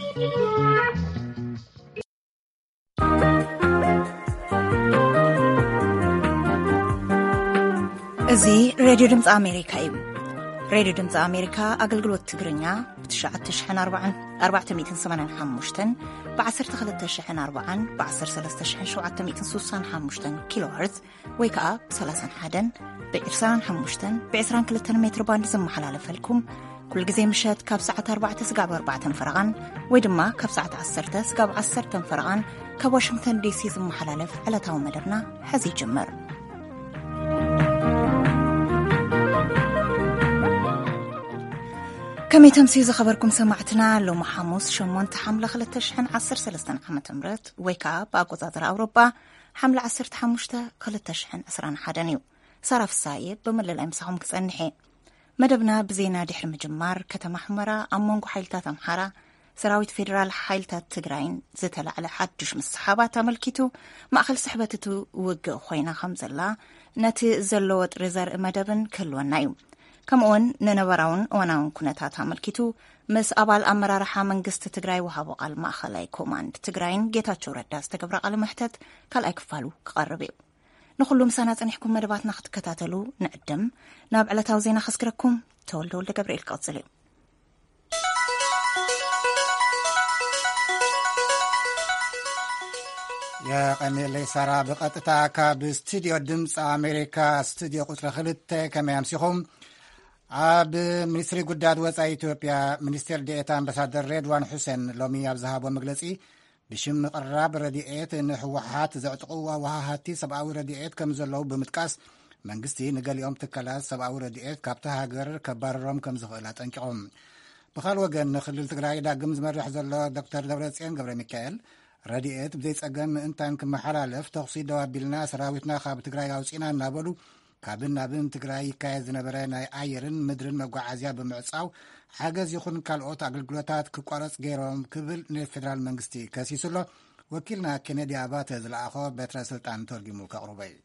እዚ ሬድዮ ድምፂ ኣሜሪካ እዩ። ሬድዮ ድምፂ ኣሜሪካ ኣገልግሎት ትግርኛ ብ ትሽዓተ ሽሕን ኣርባዓን ኣርባዕተ ሚእትን ሰማንያን ሓሙሽተን፣ ብ ዓሰርተ ክልተ ሽሕን ኣርባዓን፣ ብ ዓሰርተ ሰለስተ ሽሕን ሸውዓተ ሚእትን ስሳን ሓሙሽተን ኪሎ ሄርዝ ወይ ከዓ ብ ሰላሳን ሓደን፣ ብ ዕስራን ሓሙሽተን፣ ብ ዕስራን ክልተን ሜትር ባንድ ዝመሓላለፈልኩም፣ ኩሉ ግዜ ምሸት ካብ ሰዓት ኣርባዕተ ስጋብ ኣርባዕተን ፈረቓን ወይ ድማ ካብ ሰዓት ዓሰርተ ስጋብ ዓሰርተን ፈረቓን ካብ ዋሽንግተን ዲሲ ዝመሓላለፍ ዕለታዊ መደብና ሕዚ ይጅምር። ከመይ ተምስዩ ዝኸበርኩም ሰማዕትና፣ ሎሚ ሓሙስ ሸሞንተ ሓምለ ክልተ ሽሕን ዓሰርተ ሰለስተን ዓመተ ምህረት ወይ ከዓ ብኣቆፃፅራ ኣውሮጳ ሓምለ ዓሰርተ ሓሙሽተ ክልተ ሽሕን ዕስራን ሓደን እዩ። ሳራ ፍሳየ ብምልላይ ምሳኹም ክጸንሕ እየ። መደብና ብዜና ድሕሪ ምጅማር፣ ከተማ ሑመራ ኣብ መንጎ ሓይልታት ኣምሓራ፣ ሰራዊት ፌዴራል ሓይልታት ትግራይን ዝተላዕለ ሓዱሽ ምስሓባት ኣመልኪቱ፣ ማእኸል ስሕበት እቲ ውግእ ኮይና ከም ዘላ፣ ነቲ ዘሎ ወጥሪ ዘርኢ መደብን ክህልወና እዩ። ከምኡውን ንነበራውን እዋናውን ኩነታት ኣመልኪቱ፣ ምስ ኣባል ኣመራርሓ መንግስቲ ትግራይ ወሃቦ ቃል ማእኸላይ ኮማንድ ትግራይን ጌታቸው ረዳ ዝተገብረ ቃለ መሕተት ካልኣይ ክፋሉ ክቐርብ እዩ። ንኹሉ ምሳና ጸኒሕኩም መደባትና ክትከታተሉ ንዕድም። ናብ ዕለታዊ ዜና ከስግረኩም፣ ተወልደ ወልደ ገብርኤል ክቕጽል እዩ። የቐኔለይ ሳራ፣ ብቐጥታ ካብ ስቱዲዮ ድምፂ ኣሜሪካ፣ ስቱዲዮ ቁፅሪ ክልተ። ከመይ ኣምሲኹም? ኣብ ሚኒስትሪ ጉዳያት ወፃኢ ኢትዮጵያ ሚኒስቴር ዴኤታ ኣምባሳደር ሬድዋን ሑሴን ሎሚ ኣብ ዝሃቦ መግለፂ፣ ብሽም ምቕራብ ረድኤት ንህወሓት ዘዕጥቑ ወሃሃቲ ሰብኣዊ ረድኤት ከም ዘለዉ ብምጥቃስ፣ መንግስቲ ንገሊኦም ትካላት ሰብኣዊ ረድኤት ካብታ ሃገር ከባርሮም ከም ዝኽእል ኣጠንቂቖም። ብኻል ወገን፣ ንክልል ትግራይ ዳግም ዝመርሕ ዘሎ ዶክተር ደብረጽዮን ገብረ ሚካኤል፣ ረድኤት ብዘይጸገም ምእንታን ክመሓላለፍ ተኹሲ ደው ኣቢልና፣ ሰራዊትና ካብ ትግራይ ኣውጺና እናበሉ፣ ካብን ናብን ትግራይ ይካየድ ዝነበረ ናይ ኣየርን ምድርን መጓዓዝያ ብምዕጻው፣ ሓገዝ ይኹን ካልኦት ኣገልግሎታት ክቋረጽ ገይሮም ክብል ንፌደራል መንግስቲ ከሲሱ ኣሎ። ወኪልና ኬነዲ ኣባተ ዝለኣኾ በትረ ስልጣን ተርጊሙ ከቕርቦ እዩ።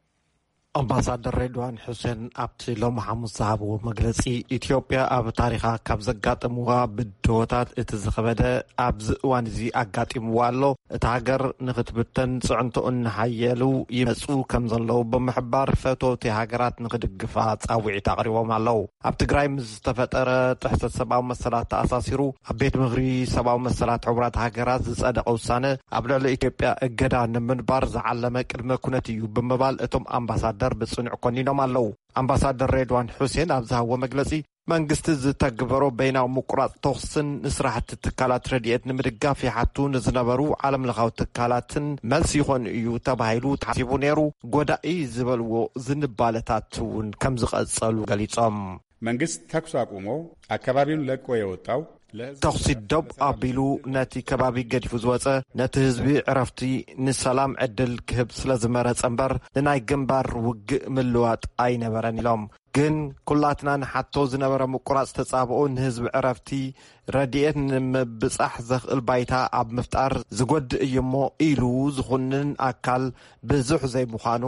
ኣምባሳደር ሬድዋን ሑሴን ኣብቲ ሎሚ ሓሙስ ዝሃብዎ መግለጺ፣ ኢትዮጵያ ኣብ ታሪኻ ካብ ዘጋጠምዋ ብድሆታት እቲ ዝኸበደ ኣብዚ እዋን እዚ ኣጋጢምዋ ኣሎ። እታ ሃገር ንኽትብተን ጽዕንቶኡ እናሓየሉ ይመጹ ከም ዘለዉ ብምሕባር፣ ፈተውቲ ሃገራት ንኽድግፋ ጻውዒት ኣቕሪቦም ኣለዉ። ኣብ ትግራይ ምስ ዝተፈጠረ ጥሕሰት ሰብኣዊ መሰላት ተኣሳሲሩ፣ ኣብ ቤት ምኽሪ ሰብኣዊ መሰላት ሕቡራት ሃገራት ዝጸደቐ ውሳነ፣ ኣብ ልዕሊ ኢትዮጵያ እገዳ ንምንባር ዝዓለመ ቅድመ ኩነት እዩ ብምባል፣ እቶም ኣምባሳደር ብጽኑዕ ኮኒኖም ኣለዉ። ኣምባሳደር ሬድዋን ሑሴን ኣብ ዝሃብዎ መግለጺ፣ መንግስቲ ዝተግበሮ በይናዊ ምቁራጽ ተኹስን ንስራሕቲ ትካላት ረድኤት ንምድጋፍ ይሓቱ ንዝነበሩ ዓለምለኻዊ ትካላትን መልሲ ይኾን እዩ ተባሂሉ ተሓሲቡ ነይሩ፣ ጎዳኢ ዝበልዎ ዝንባለታት እውን ከም ዝቐጸሉ ገሊጾም። መንግስት ተኩስ አቁሞ አካባቢውን ለቆ የወጣው ለህዝብ ተኹሲ ደው ኣቢሉ ነቲ ከባቢ ገዲፉ ዝወጸ፣ ነቲ ህዝቢ ዕረፍቲ፣ ንሰላም ዕድል ክህብ ስለ ዝመረጸ እምበር፣ ንናይ ግንባር ውግእ ምልዋጥ ኣይነበረን ኢሎም። ግን ኩላትና ንሓቶ ዝነበረ ምቁራጽ ተጻብኦ ንህዝቢ ዕረፍቲ፣ ረድኤት ንምብጻሕ ዘኽእል ባይታ ኣብ ምፍጣር ዝጎድእ እዩ እሞ ኢሉ ዝኹንን ኣካል ብዙሕ ዘይምዃኑ፣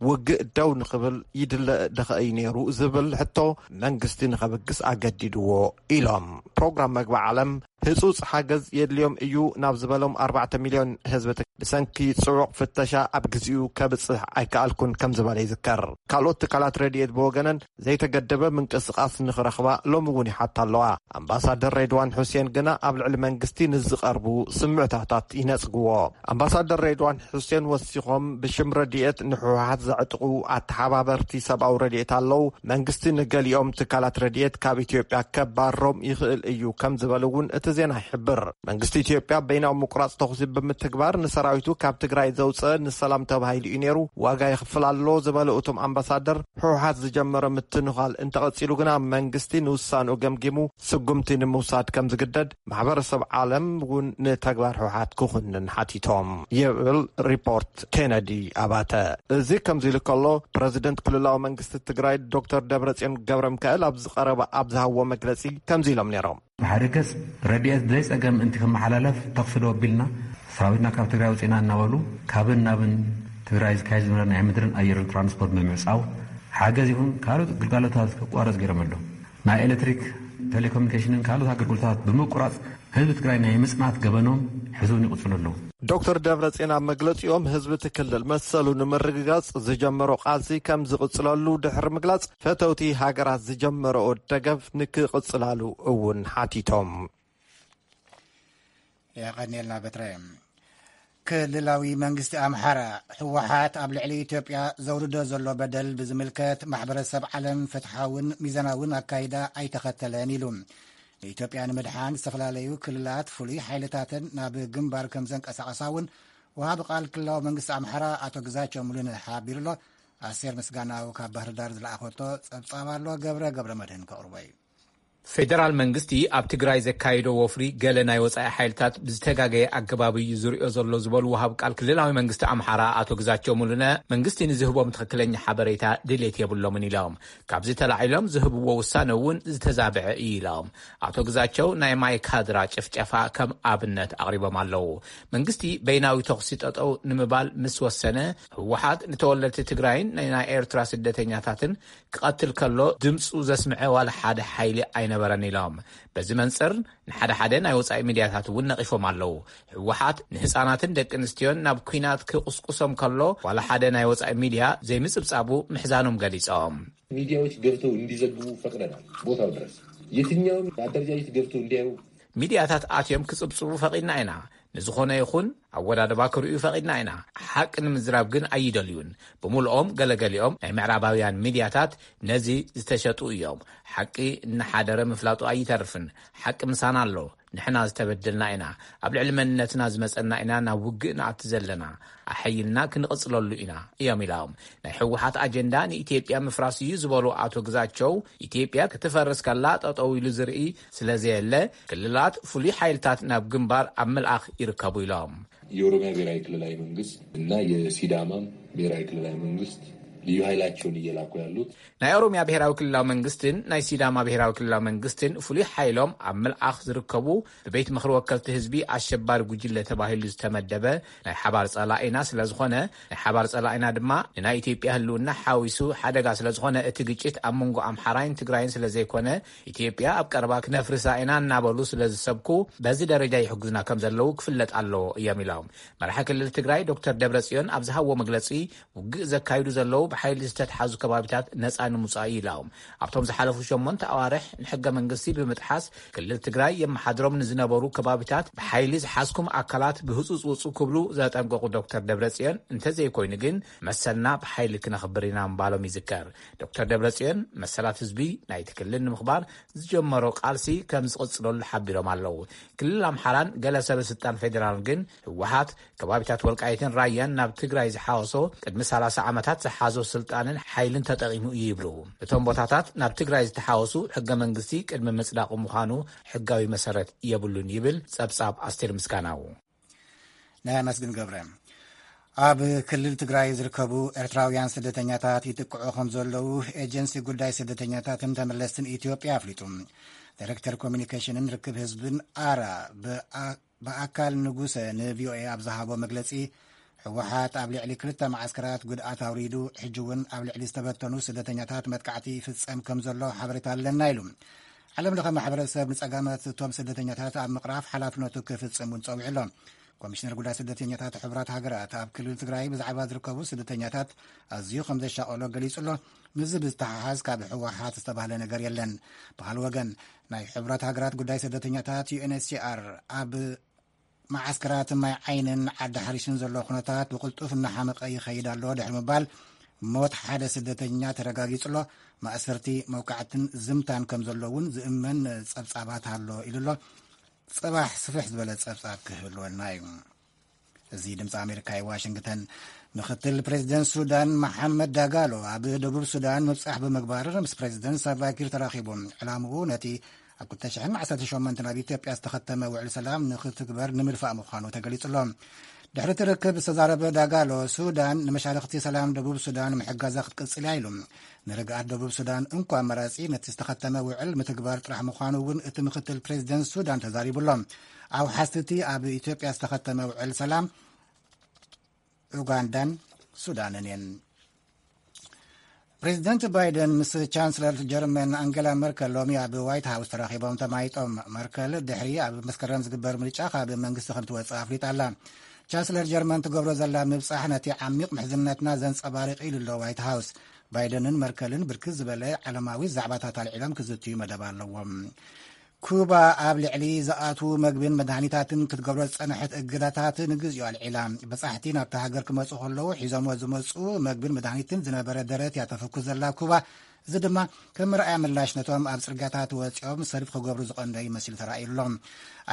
ውግእ ደው ንኽብል ይድለ ደኸ እዩ ነይሩ ዝብል ሕቶ መንግስቲ ንኸብግስ ኣገዲድዎ ኢሎም። ፕሮግራም መግቢ ዓለም ህጹጽ ሓገዝ የድልዮም እዩ ናብ ዝበሎም ኣርባዕተ ሚልዮን ህዝቢ ትግ-፣ ብሰንኪ ጽዑቕ ፍተሻ ኣብ ግዜኡ ከብጽሕ ኣይከኣልኩን ከም ዝበለ ይዝከር። ካልኦት ትካላት ረድኤት ብወገነን ዘይተገደበ ምንቅስቓስ ንኽረኽባ ሎሚ እውን ይሓታ ኣለዋ። ኣምባሳደር ሬድዋን ሑሴን ግና ኣብ ልዕሊ መንግስቲ ንዝቐርቡ ስምዕታታት ይነጽግዎ። ኣምባሳደር ሬድዋን ሑሴን ወሲኾም፣ ብሽም ረድኤት ንሕወሓት ዘዕጥቑ ኣተሓባበርቲ ሰብኣዊ ረድኤት ኣለዉ። መንግስቲ ንገሊኦም ትካላት ረድኤት ካብ ኢትዮጵያ ከባርሮም ይኽእል እዩ ከም ዝበሉ እውን እቲ ዜና ይሕብር። መንግስቲ ኢትዮጵያ በይናዊ ምቁራጽ ተኹሲ ብምትግባር ንሰራዊቱ ካብ ትግራይ ዘውፀ ንሰላም ተባሂሉ እዩ ነይሩ፣ ዋጋ ይኽፍል ኣሎ ዝበሉ እቶም ኣምባሳደር፣ ህወሓት ዝጀመረ ምትንዃል እንተቐጺሉ ግና መንግስቲ ንውሳንኡ ገምጊሙ ስጉምቲ ንምውሳድ ከም ዝግደድ ማሕበረሰብ ዓለም እውን ንተግባር ህወሓት ክኹንን ሓቲቶም ይብል ሪፖርት ኬነዲ ኣባተ። እዚ ከምዚ ኢሉ ከሎ፣ ፕረዚደንት ክልላዊ መንግስቲ ትግራይ ዶክተር ደብረጽዮን ገብረ ሚካኤል ኣብ ዝቐረበ ኣብ ዝሃብዎ መግለጺ ከምዚ ኢሎም ነይሮም። ብሓደ ገጽ ረድኤት ብዘይጸገም ምእንቲ ክመሓላለፍ ተኹሲ ደው ኣቢልና፣ ሰራዊትና ካብ ትግራይ ኣውጺእና እናበሉ ካብን ናብን ትግራይ ዝካየድ ዝነበረ ናይ ምድርን ኣየርን ትራንስፖርት ብምዕጻው፣ ሓገዝ ይኹን ካልኦት ግልጋሎታት ክቋረጽ ገይሮም ኣለዉ። ናይ ኤሌክትሪክ፣ ቴሌኮሙኒኬሽንን ካልኦት ኣገልግሎታት ብምቁራጽ ህዝቢ ትግራይ ናይ ምጽናት ገበኖም ሕዚ እውን ይቕጽሉ ኣለዉ። ዶክተር ደብረጽዮን ኣብ መግለጺኦም፣ ህዝቢ እቲ ክልል መሰሉ ንምርግጋጽ ዝጀመሮ ቃልሲ ከም ዝቕጽለሉ ድሕሪ ምግላጽ፣ ፈተውቲ ሃገራት ዝጀመረኦ ደገፍ ንክቕጽላሉ እውን ሓቲቶም። የቐንየልና በትረ። ክልላዊ መንግስቲ ኣምሓራ፣ ህወሓት ኣብ ልዕሊ ኢትዮጵያ ዘውርዶ ዘሎ በደል ብዝምልከት፣ ማሕበረሰብ ዓለም ፍትሓውን ሚዛናውን ኣካይዳ ኣይተኸተለን ኢሉ። ንኢትዮጵያ ንምድሓን ዝተፈላለዩ ክልላት ፍሉይ ሓይልታትን ናብ ግንባር ከም ዘንቀሳቐሳ እውን ወሃቢ ቃል ክልላዊ መንግስቲ ኣምሓራ ኣቶ ግዛቸው ሙሉነ ሓቢሩ ኣሎ። ኣስቴር ምስጋናው ካብ ባህር ዳር ዝለኣኸቶ ጸብጻብ ኣሎ። ገብረ ገብረ መድህን ከቕርቦ እዩ። ፌደራል መንግስቲ ኣብ ትግራይ ዘካይዶ ወፍሪ ገለ ናይ ወጻኢ ሓይልታት ብዝተጋገየ ኣገባብ እዩ ዝሪኦ ዘሎ ዝበሉ ወሃብ ቃል ክልላዊ መንግስቲ ኣምሓራ ኣቶ ግዛቸው ሙሉነ፣ መንግስቲ ንዝህቦም ትኽክለኛ ሓበሬታ ድሌት የብሎምን ኢሎም። ካብዚ ተላዒሎም ዝህብዎ ውሳነ እውን ዝተዛብዐ እዩ ኢሎም። ኣቶ ግዛቸው ናይ ማይ ካድራ ጭፍጨፋ ከም ኣብነት ኣቕሪቦም ኣለዉ። መንግስቲ በይናዊ ተኹሲ ጠጠው ንምባል ምስ ወሰነ፣ ህወሓት ንተወለድቲ ትግራይን ናይ ኤርትራ ስደተኛታትን ክቐትል ከሎ ድምፁ ዘስምዐ ዋላ ሓደ ሓይሊ ኣይነበረን ኢሎም። በዚ መንፅር ንሓደ ሓደ ናይ ወፃኢ ሚድያታት እውን ነቒፎም ኣለዉ። ህወሓት ንህፃናትን ደቂ ኣንስትዮን ናብ ኲናት ክቕስቁሶም ከሎ ዋላ ሓደ ናይ ወፃኢ ሚድያ ዘይምፅብፃቡ ምሕዛኖም ገሊፆም። ሚዲያዎች ገብተው እንዲዘግቡ ፈቅደናል። ቦታው ድረስ የትኛውም አደረጃጀት ገብተው እንዲያዩ ሚድያታት ኣትዮም ክፅብፅቡ ፈቒድና ኢና። ንዝኾነ ይኹን ኣወዳድባ ክርእዩ ፈቒድና ኢና። ሓቂ ንምዝራብ ግን ኣይደልዩን። ብምልኦም ገለገሊኦም ናይ ምዕራባውያን ሚድያታት ነዚ ዝተሸጡ እዮም። ሓቂ እናሓደረ ምፍላጡ ኣይተርፍን። ሓቂ ምሳና ኣሎ። ንሕና ዝተበደልና ኢና። ኣብ ልዕሊ መንነትና ዝመፀና ኢና ናብ ውግእ ንኣቲ ዘለና። ኣሐይልና ክንቕፅለሉ ኢና እዮም ኢሎም። ናይ ህወሓት ኣጀንዳ ንኢትዮጵያ ምፍራስ እዩ ዝበሉ ኣቶ ግዛቸው፣ ኢትዮጵያ ክትፈርስ ከላ ጠጠው ኢሉ ዝርኢ ስለዘየለ ክልላት ፍሉይ ሓይልታት ናብ ግንባር ኣብ ምልኣኽ ይርከቡ ኢሎም። የኦሮሚያ ብሔራዊ ክልላዊ መንግስት እና የሲዳማም ብሔራዊ ክልላዊ መንግስት ልዩ ኃይላቸውን እየላኩ ያሉት ናይ ኦሮሚያ ብሔራዊ ክልላዊ መንግስትን ናይ ሲዳማ ብሔራዊ ክልላዊ መንግስትን ፍሉይ ሓይሎም ኣብ ምልኣኽ ዝርከቡ ብቤት ምኽሪ ወከልቲ ህዝቢ ኣሸባሪ ጉጅለ ተባሂሉ ዝተመደበ ናይ ሓባር ጸላኢና ስለዝኾነ ናይ ሓባር ጸላኢና ድማ ንናይ ኢትዮጵያ ህልውና ሓዊሱ ሓደጋ ስለዝኾነ እቲ ግጭት ኣብ መንጎ ኣምሓራይን ትግራይን ስለዘይኮነ ኢትዮጵያ ኣብ ቀረባ ክነፍርሳ ኢና እናበሉ ስለዝሰብኩ በዚ ደረጃ ይሕግዙና ከም ዘለዉ ክፍለጥ ኣለዎ እዮም ኢሎም። መራሒ ክልል ትግራይ ዶክተር ደብረጽዮን ኣብ ዝሃብዎ መግለጺ ውግእ ዘካይዱ ዘለዉ ብሓይሊ ዝተትሓዙ ከባቢታት ነጻ ንምውጻእ እዩ ኢሎም። ኣብቶም ዝሓለፉ ሸሞንተ ኣዋርሕ ንሕገ መንግስቲ ብምጥሓስ ክልል ትግራይ የመሓድሮም ንዝነበሩ ከባቢታት ብሓይሊ ዝሓዝኩም ኣካላት ብህፁፅ ውፁ ክብሉ ዘጠንቀቑ ዶክተር ደብረፅዮን እንተዘይኮይኑ ግን መሰልና ብሓይሊ ክነኽብር ኢና ምባሎም ይዝከር። ዶክተር ደብረፅዮን መሰላት ህዝቢ ናይቲ ክልል ንምኽባር ዝጀመሮ ቃልሲ ከም ዝቕፅለሉ ሓቢሮም ኣለዉ። ክልል ኣምሓራን ገለ ሰበ ስልጣን ፌዴራልን ግን ህወሓት ከባቢታት ወልቃይትን ራያን ናብ ትግራይ ዝሓወሶ ቅድሚ ሰላሳ ዓመታት ዝሓዞ ስልጣንን ሓይልን ተጠቒሙ እዩ ይብሉ። እቶም ቦታታት ናብ ትግራይ ዝተሓወሱ ሕገ መንግስቲ ቅድሚ ምፅዳቑ ምዃኑ ሕጋዊ መሰረት የብሉን ይብል ጸብጻብ ኣስቴር ምስጋናው። ናይ መስግን ገብረ ኣብ ክልል ትግራይ ዝርከቡ ኤርትራውያን ስደተኛታት ይጥቅዑ ከም ዘለዉ ኤጀንሲ ጉዳይ ስደተኛታትን ተመለስትን ኢትዮጵያ ኣፍሊጡ። ዳይሬክተር ኮሚኒኬሽንን ርክብ ህዝብን ኣራ ብኣካል ንጉሰ ንቪኦኤ ኣብ ዝሃቦ መግለጺ፣ ህወሓት ኣብ ልዕሊ ክልተ መዓስከራት ጉድኣት ኣውሪዱ፣ ሕጂ እውን ኣብ ልዕሊ ዝተበተኑ ስደተኛታት መጥቃዕቲ ይፍጸም ከም ዘሎ ሓበሬታ ኣለና ኢሉ። ዓለም ለኸ ማሕበረሰብ ንጸጋማት እቶም ስደተኛታት ኣብ ምቕራፍ ሓላፍነቱ ክፍጽም እውን ጸዊዑ ኣሎ። ኮሚሽነር ጉዳይ ስደተኛታት ሕቡራት ሃገራት ኣብ ክልል ትግራይ ብዛዕባ ዝርከቡ ስደተኛታት ኣዝዩ ከም ዘሻቐሎ ገሊጹ ኣሎ። ምስዚ ብዝተሓሓዝ ካብ ህወሓት ዝተባህለ ነገር የለን። ብኻልእ ወገን ናይ ሕቡራት ሃገራት ጉዳይ ስደተኛታት ዩኤንኤችሲኣር ኣብ መዓስከራት ማይ ዓይንን ዓዲ ሓሪሽን ዘሎ ኩነታት ብቕልጡፍ እናሓመቐ ይኸይድ ኣሎ ድሕሪ ምባል ሞት ሓደ ስደተኛ ተረጋጊጹ ኣሎ። ማእሰርቲ መውቃዕትን ዝምታን ከም ዘሎ እውን ዝእመን ጸብጻባት ኣሎ ኢሉ ኣሎ። ጽባሕ ስፍሕ ዝበለ ጸብጻብ ክህልወና እዩ። እዚ ድምፂ ኣሜሪካ እዩ። ዋሽንግተን። ምክትል ፕሬዚደንት ሱዳን መሓመድ ዳጋሎ ኣብ ደቡብ ሱዳን ምብፃሕ ብምግባር ምስ ፕሬዚደንት ሳልቫኪር ተራኺቡ። ዕላምኡ ነቲ ኣብ ክልተ ሽሕን ዓሰርተ ሸሞንተን ኣብ ኢትዮጵያ ዝተኸተመ ውዕል ሰላም ንክትግበር ንምድፋእ ምዃኑ ተገሊጹ ኣሎ። ድሕሪ እቲ ርክብ ዝተዛረበ ዳጋሎ፣ ሱዳን ንመሻርኽቲ ሰላም ደቡብ ሱዳን ምሕጋዛ ክትቅጽል እያ ኢሉ። ንርግኣት ደቡብ ሱዳን እንኮ ኣማራጺ ነቲ ዝተኸተመ ውዕል ምትግባር ጥራሕ ምዃኑ እውን እቲ ምክትል ፕሬዚደንት ሱዳን ተዛሪቡ ኣሎ። ኣውሓዝቲ እቲ ኣብ ኢትዮጵያ ዝተኸተመ ውዕል ሰላም ኡጋንዳን ሱዳንን እየን። ፕሬዚደንት ባይደን ምስ ቻንስለር ጀርመን ኣንገላ መርከል ሎሚ ኣብ ዋይት ሃውስ ተራኺቦም ተማይጦም። መርከል ድሕሪ ኣብ መስከረም ዝግበር ምርጫ ካብ መንግስቲ ከም ትወፅእ ኣፍሊጣ ኣላ። ቻንስለር ጀርመን ትገብሮ ዘላ ምብፃሕ ነቲ ዓሚቕ ምሕዝነትና ዘንፀባርቕ ኢሉ ኣሎ ዋይት ሃውስ። ባይደንን መርከልን ብርክት ዝበለ ዓለማዊ ዛዕባታት ኣልዒሎም ክዝትዩ መደብ ኣለዎም። ኩባ ኣብ ልዕሊ ዝኣትዉ መግብን መድሃኒታትን ክትገብሮ ዝጸንሐት እገዳታት ንግዚኡ ኣልዒላ። በጻሕቲ ናብታ ሃገር ክመጹ ከለዉ ሒዞሞ ዝመጹ መግብን መድሃኒትን ዝነበረ ደረት እያ ተፈኩስ ዘላ ኩባ። እዚ ድማ ከም መርኣያ ምላሽ ነቶም ኣብ ጽርግያታት ወጺኦም ሰልፊ ክገብሩ ዝቐነዩ መሲሉ ተራእዩ ኣሎ።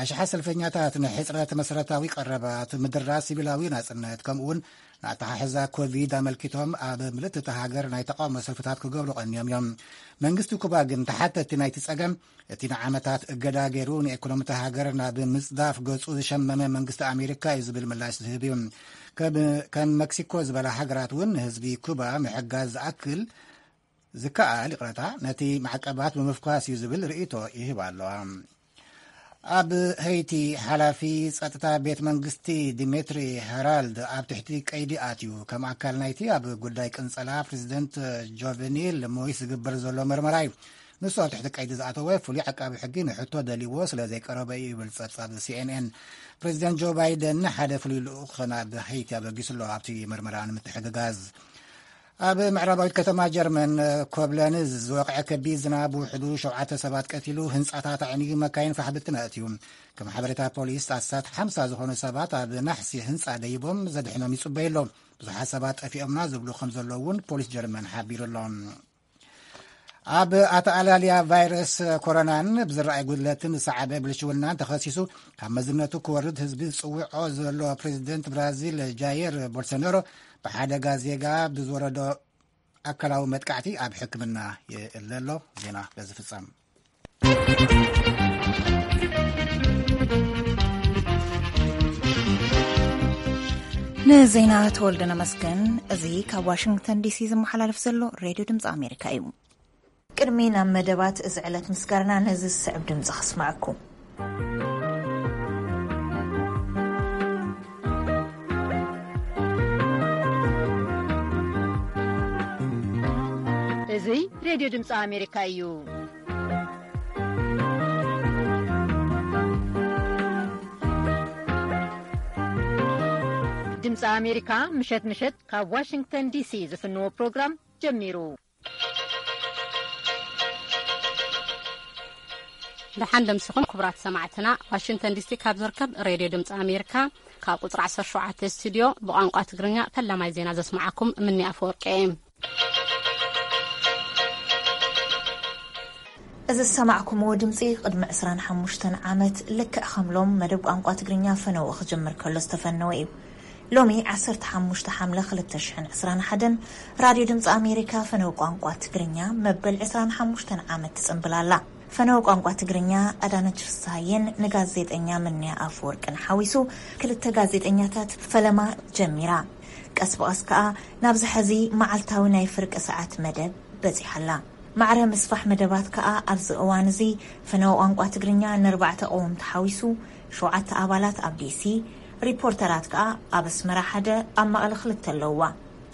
ኣሽሓት ሰልፈኛታት ንሕጽረት መሰረታዊ ቀረባት፣ ምድራት ሲቪላዊ ናጽነት፣ ከምኡውን ንኣተሓሕዛ ኮቪድ ኣመልኪቶም ኣብ ምልእቲ እታ ሃገር ናይ ተቓውሞ ሰልፍታት ክገብሩ ቀንዮም እዮም። መንግስቲ ኩባ ግን ተሓተቲ ናይቲ ጸገም እቲ ንዓመታት እገዳ ገይሩ ንኤኮኖሚ እታ ሃገር ናብ ምጽዳፍ ገጹ ዝሸመመ መንግስቲ ኣሜሪካ እዩ ዝብል ምላሽ ዝህብ እዩ። ከም ከም መክሲኮ ዝበላ ሃገራት እውን ንህዝቢ ኩባ ምሕጋዝ ዝኣክል ዝከኣል፣ ይቕረታ፣ ነቲ ማዕቀባት ብምፍኳስ እዩ ዝብል ርእይቶ ይህባ ኣለዋ። ኣብ ሄይቲ ሓላፊ ጸጥታ ቤት መንግስቲ ዲሜትሪ ሄራልድ ኣብ ትሕቲ ቀይዲ ኣትዩ። ከም ኣካል ናይቲ ኣብ ጉዳይ ቅንጸላ ፕሬዚደንት ጆቨኒል ሞይስ ዝግበር ዘሎ መርመራ እዩ። ንሱ ኣብ ትሕቲ ቀይዲ ዝኣተወ ፍሉይ ዓቃቢ ሕጊ ንሕቶ ደልዎ ስለ ዘይቀረበ እዩ ይብል ጸብጻብ ሲኤንኤን። ፕሬዚደንት ጆ ባይደን ሓደ ፍሉይ ልኡኽ ናብ ሄይቲ ኣበጊሱ ኣሎ ኣብቲ መርመራ ንምትሕግጋዝ። ኣብ ምዕራባዊት ከተማ ጀርመን ኮብለንዝ ዝወቕዐ ከቢድ ዝናብ ውሕዱ ሸውዓተ ሰባት ቀቲሉ፣ ህንጻታት ኣዕንዩ፣ መካይን ፋሕ ብትን ኣእትዩ። ከም ሓበሬታ ፖሊስ ኣስታት ሓምሳ ዝኾኑ ሰባት ኣብ ናሕሲ ህንጻ ደይቦም ዘድሕኖም ይጽበዩ ኣለዉ። ብዙሓት ሰባት ጠፊኦምና ዝብሉ ከም ዘለዉ እውን ፖሊስ ጀርመን ሓቢሩ ኣሎ። ኣብ ኣተኣላልያ ቫይረስ ኮሮናን ብዝረኣይ ጉድለትን ዝሰዓበ ብልሽውናን ተኸሲሱ ካብ መዝነቱ ክወርድ ህዝቢ ዝጽውዖ ዘሎ ፕሬዚደንት ብራዚል ጃየር ቦልሶናሮ ብሓደጋ ዜጋ ብዝወረዶ ኣካላዊ መጥቃዕቲ ኣብ ሕክምና ይእለ ኣሎ። ዜና በዚ ፍጸም። ንዜና ተወልደ ነመስገን። እዚ ካብ ዋሽንግተን ዲሲ ዝመሓላለፍ ዘሎ ሬድዮ ድምፂ ኣሜሪካ እዩ። ቅድሚ ናብ መደባት እዚ ዕለት ምስጋርና ነዚ ዝስዕብ ድምፂ ከስምዐኩም። እዚ ሬድዮ ድምፂ ኣሜሪካ እዩ። ድምፂ ኣሜሪካ ምሸት ምሸት ካብ ዋሽንግተን ዲሲ ዝፍንዎ ፕሮግራም ጀሚሩ። ደሓን ደምሲኹም ክቡራት ሰማዕትና። ዋሽንግተን ዲሲ ካብ ዝርከብ ሬድዮ ድምፂ ኣሜሪካ ካብ ቁፅሪ ዓሰርተ ሸውዓተ ስቱዲዮ ብቋንቋ ትግርኛ ፈላማይ ዜና ዘስምዓኩም ምኒ ኣፈወርቂ እየ። እዚ ዝሰማዕኩምዎ ድምፂ ቅድሚ ዕስራን ሓሙሽተን ዓመት ልክዕ ከም ሎም መደብ ቋንቋ ትግርኛ ፈነወ ክጅምር ከሎ ዝተፈነወ እዩ። ሎሚ ዓሰርተ ሓሙሽተ ሓምለ ክልተ ሽሕን ዕስራን ሓደን ራድዮ ድምፂ ኣሜሪካ ፈነው ቋንቋ ትግርኛ መበል ዕስራን ሓሙሽተን ዓመት ትፅምብል ኣላ። ፈነው ቋንቋ ትግርኛ ኣዳነች ፍስሃየን ንጋዜጠኛ ምንያ ኣፈወርቅን ሓዊሱ ክልተ ጋዜጠኛታት ፈለማ ጀሚራ። ቀስ ብቐስ ከኣ ናብዚ ሐዚ መዓልታዊ ናይ ፍርቂ ሰዓት መደብ በጺሓ ኣላ። ማዕረ ምስፋሕ መደባት ከኣ ኣብዚ እዋን እዚ ፈነወ ቋንቋ ትግርኛ ንኣርባዕተ ቀወምቲ ሓዊሱ ሸውዓተ ኣባላት ኣብ ዲሲ፣ ሪፖርተራት ከኣ ኣብ ኣስመራ ሓደ፣ ኣብ መቐለ ክልተ ኣለውዋ።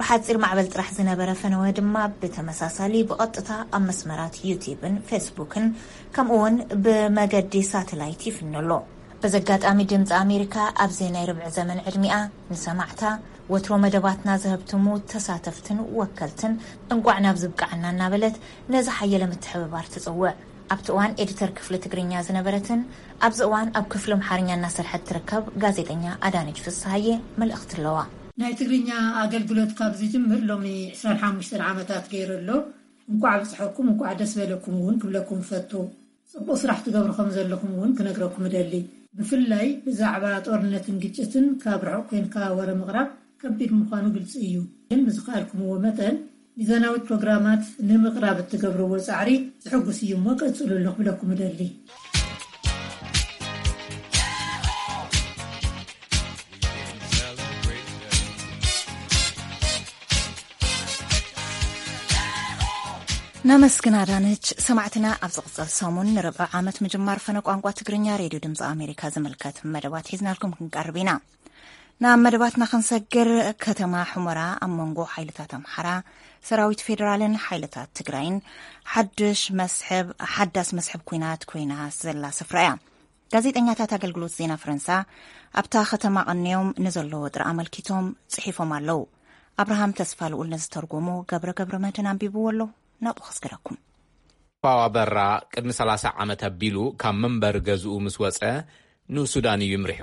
ብሓጺር ማዕበል ጥራሕ ዝነበረ ፈነወ ድማ ብተመሳሳሊ ብቐጥታ ኣብ መስመራት ዩቲብን ፌስቡክን ከምኡ እውን ብመገዲ ሳተላይት ይፍኖ ኣሎ። በዚ ኣጋጣሚ ድምፂ ኣሜሪካ ኣብዚ ናይ ርብዒ ዘመን ዕድሚኣ ንሰማዕታ ወትሮ መደባትና ዘህብትሙ ተሳተፍትን ወከልትን እንቋዕ ናብ ዝብቃዕና እናበለት ነዚ ሓየለ ምትሕብባር ትፅውዕ። ኣብቲ እዋን ኤዲተር ክፍሊ ትግርኛ ዝነበረትን ኣብዚ እዋን ኣብ ክፍሊ ኣምሓርኛ እናሰርሐት ትርከብ ጋዜጠኛ ኣዳነች ፍስሃየ መልእኽቲ ኣለዋ። ናይ ትግርኛ ኣገልግሎት ካብ ዝጅምር ሎሚ ዕስራን ሓሙሽተን ዓመታት ገይሩ ኣሎ። እንቋዕ ኣብፀሐኩም፣ እንቋዕ ደስ በለኩም እውን ክብለኩም ፈቱ። ጽቡቕ ስራሕ ትገብሩ ከም ዘለኹም እውን ክነግረኩም እደሊ። ብፍላይ ብዛዕባ ጦርነትን ግጭትን ካብ ርሑቕ ኮንካ ወረ ምቕራብ ከቢድ ምዃኑ ግልጺ እዩ። ግን ብዝኸኣልኩምዎ መጠን ሚዛናዊት ፕሮግራማት ንምቕራብ እትገብርዎ ጻዕሪ ዘሕጉስ እዩ እሞ ቀጽሉሉ ክብለኩም እደሊ። ነመስግን ኣዳነች። ሰማዕትና ኣብ ዝቕጸል ሰሙን ንርብዒ ዓመት ምጅማር ፈነ ቋንቋ ትግርኛ ሬድዮ ድምፂ ኣሜሪካ ዝምልከት መደባት ሒዝናልኩም ክንቀርብ ኢና። ናብ መደባትና ክንሰግር፣ ከተማ ሑመራ ኣብ መንጎ ሓይልታት ኣምሓራ፣ ሰራዊት ፌደራልን ሓይልታት ትግራይን ሓድሽ መስሕብ፣ ሓዳስ መስሕብ ኲናት ኮይና ዘላ ስፍራ እያ። ጋዜጠኛታት ኣገልግሎት ዜና ፈረንሳ ኣብታ ከተማ ቀንዮም ንዘሎ ወጥሪ ኣመልኪቶም ጽሒፎም ኣለዉ። ኣብርሃም ተስፋ ልኡል ንዝተርጎሞ ገብረ ገብረ መድህን ኣንቢብዎ ኣሎ። ናብኡ ከስግረኩም። ፋዋ በራ ቅድሚ ሰላሳ ዓመት ኣቢሉ ካብ መንበሪ ገዝኡ ምስ ወጸ፣ ንሱዳን እዩ ይምርሑ።